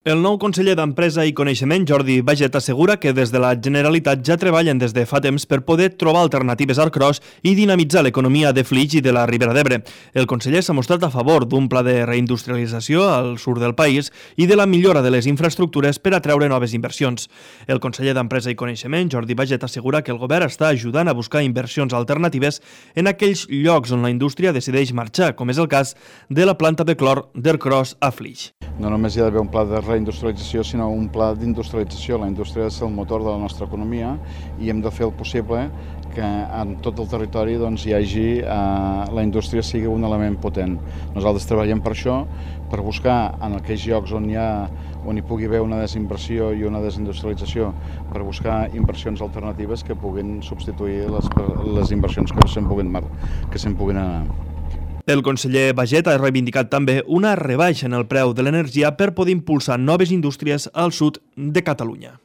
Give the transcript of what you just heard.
El nou conseller d'Empresa i Coneixement, Jordi Baiget, assegura que des de la Generalitat ja treballen des de fa temps per poder trobar alternatives al cros i dinamitzar l'economia de Flix i de la Ribera d'Ebre. El conseller s'ha mostrat a favor d'un pla de reindustrialització al sud del país i de la millora de les infraestructures per atreure noves inversions. El conseller d'Empresa i Coneixement, Jordi Baiget, assegura que el govern està ajudant a buscar inversions alternatives en aquells llocs on la indústria decideix marxar, com és el cas de la planta de clor d'Ercros a Flix. No només hi ha d'haver un pla de reindustrialització, sinó un pla d'industrialització. La indústria és el motor de la nostra economia i hem de fer el possible que en tot el territori hi hagi, la indústria sigui un element potent. Nosaltres treballem per això, per buscar en aquells llocs on hi pugui haver una desinversió i una desindustrialització, per buscar inversions alternatives que puguin substituir les inversions que se'n puguin anar. El conseller Baiget ha reivindicat també una rebaixa en el preu de l'energia per poder impulsar noves indústries al sud de Catalunya.